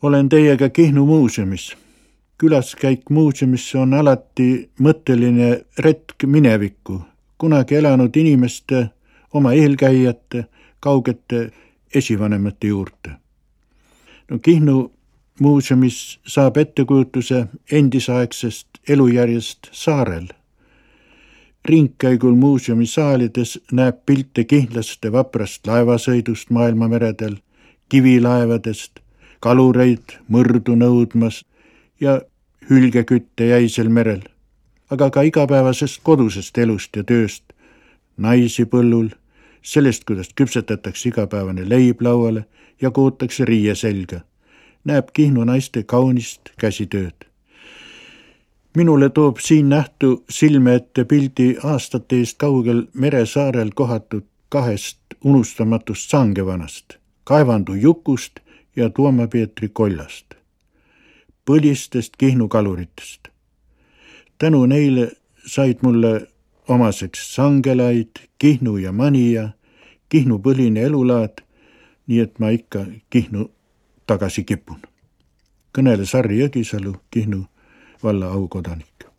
Olen teiega Kihnu muuseumis. Külaskäik muuseumisse on alati mõtteline retk minevikku, kunagi elanud inimeste, oma eelkäijate, kaugete esivanemate juurde. Kihnu muuseumis saab ettekujutuse endisaegsest elujärjest saarel. Ringkäigul muuseumi saalides näeb pilte kihnlaste vaprast laevasõidust maailmameredel, kivilaevadest, kalureid mõrdu nõudmas ja hülgekütte jäisel merel, aga ka igapäevasest kodusest elust ja tööst, naisi põllul, sellest, kuidas küpsetatakse igapäevane leib lauale ja kootakse riie selga, näeb Kihnu naiste kaunist käsitööd. Minule toob siin nähtu silme ette pildi aastate eest kaugel meresaarel kohatud 2 unustamatust sangevanast, Kaevandu Jukust ja Tuoma Peetri Kollast, põlistest Kihnu kaluritest. Tänu neile said mulle omaseks sangelaid, Kihnu ja Manija, Kihnu põline elulaad, nii et ma ikka Kihnu tagasi kipun. Kõneles Harri Jõgisalu, Kihnu valla aukodanik.